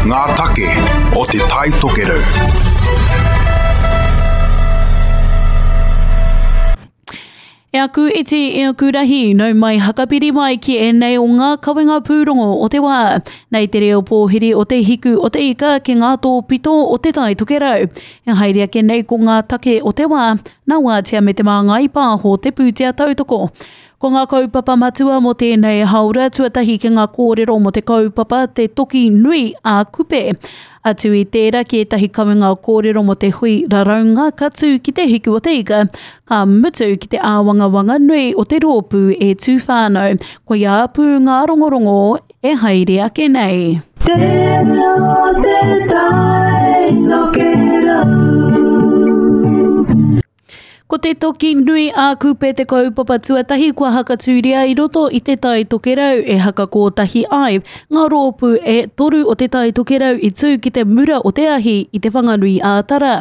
Ngā take o Te Tai Tokerau. E aku iti, e aku rahi, nau mai hakapiri mai ki ēnei o ngā kawenga pūrongo o te wā. Nei te reo pōhiri o te hiku o te ika ki ngā tōpito o Te Tai Tokerau. E haere ake nei ko ngā take o te wā, nā Wātea me Te Māngai Pāho te pūtea tautoko. Ko ngā kaupapa matua mō tēnei hāora tuatahi ki ngā kōrero mō te kaupapa Te Toki Nui a Kupe. Atu i tērā ki ētahi kawenga kōrero mō te hui raraunga ka tū ki Te Hiku o te Ika, ka mutu ki te āwangawanga nui o te rōpū E Tū Whānau. Koia pū ngā rongorongo e haere ake nei. Tēnā te tai tokerau. Ko te toki nui a Kupe te kaupapa tuatahi kua hakatūria i roto i Te Tai Tokerau e hakakōtahi ai ngā rōpū e toru o Te Tai Tokerau i tū ki te mura o te ahi i Te Whanganui-ā-Tara.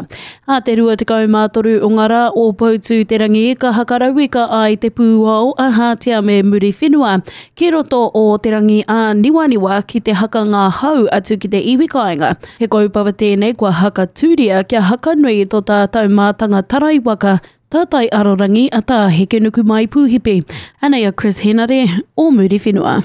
Ā te 23 o ngā rā o Poutū-te-rangi ka hakarauika ai te pūao a Hātea me Muriwhenua ki roto o Te Rangi-ā-Niwaniwa ki te haka ngā hau atu ki te iwi kāinga. He kaupapa tēnei kua hakatūria kia hakanui i tō tātou mātanga tarai waka, tātai arorangi a Tā Hekenukumai Pūhipi. Anei a Chris Henare o Muriwhenua.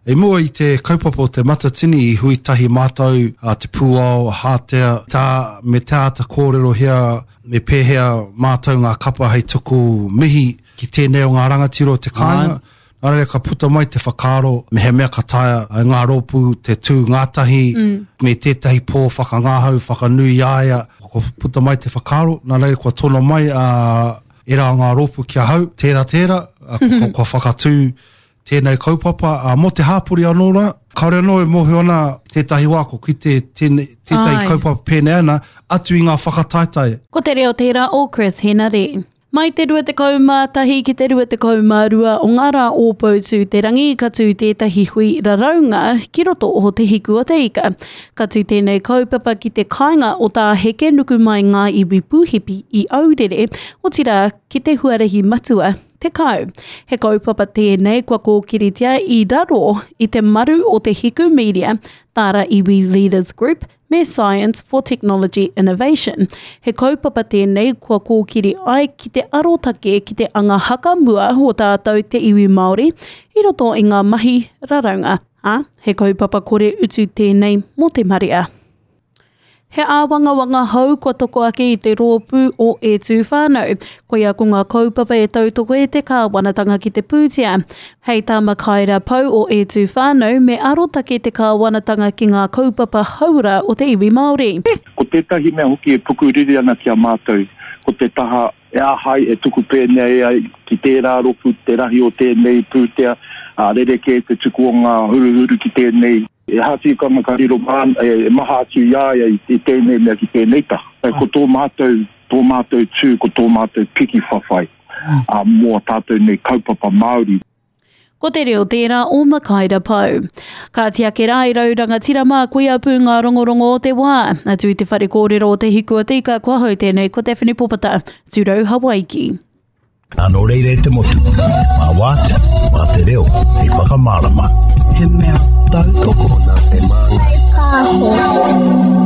I mua i te kaupapa o Te Matatini i hui tahi mātou a Te Pūao, a Hātea, tā, me te āta kōrerohia me pēhea mātou ngā kapa hei tuku mihi ki tēnei o ngā rangatira o te kāinga. Nā reira ka puta mai te whakaaro mehemea ka taea e ngā rōpū te tū ngātahi me tētahi pō whakangahau, whakanui i a ia, kua puta mai te whakaaro, nā reira kua tono mai a ērā o ngā rōpū ki ahau, tērā tērā, kua whakatū tēnei kaupapa, ā, mō te hāpori anō rā, kāore anō e mōhio ana tētahi wā ko kite tēnei, tētahi kaupapa pēnei ana, atu i ngā whakataetae. Ko te reo tērā o Chris Henare. Mai te 21 ki te 22 o ngā rā o Poutū-te-rangi ka tū tētahi hui raraunga ki roto o Te Hiku o te Ika. Ka tū tēnei kaupapa ki te kāinga o Tā Hekenukumai Ngā Iwi Pūhipi i Aurere, otirā ki te huarahi matua, 10. He kaupapa tēnei kua kōkiritia i raro i te maru o Te Hiku Media, Tāra Iwi Leaders Group, me Science for Technology Innovation. He kaupapa tēnei kua kōkiri ai ki te arotake ki te anga hakamua o tātou te iwi Māori i roto i ngā mahi raraunga, ā, he kaupapa kore utu tēnei mō te marea. He āwangawanga hou kua toko ake i te rōpū o E Tū Whānau. Koia ko ngā kaupapa e tautoko e te kāwanatanga ki te pūtea. Hei tā Makaira Pou o E Tū Whānau, me arotake te kāwanatanga ki ngā kaupapa hauora o te iwi Māori. Ko tētahi mea hoki e pukuriri ana ki a mātou, ko te taha e āhei e tuku pēnei ai ki tērā ropu te rahi o tēnei pūtea, ā, rerekē te tuku o ngā huruhuru ki tēnei. He aha tikanga ka riro māna, e maha atu i a ia i tēnei mea ki tēnei taha. Ko tō mātou, tō mātou tū, ko tō mātou piki whawhai mō ā tātou nei kaupapa Māori. Ko te reo tērā o Makaira Pou. Kāti ake rā i rau rangatira mā koia pū ngā rongorongo o te wā. Atu i te whare kōrero o Te Hiku o Te Ika kua hou tēnei ko Daphne Popata, Tūrau Hawaiki. Nā nō reira e te motu, mā Wātea, mā te reo, hei whakamārama. He mea tautoko. Nā te māngai pāho.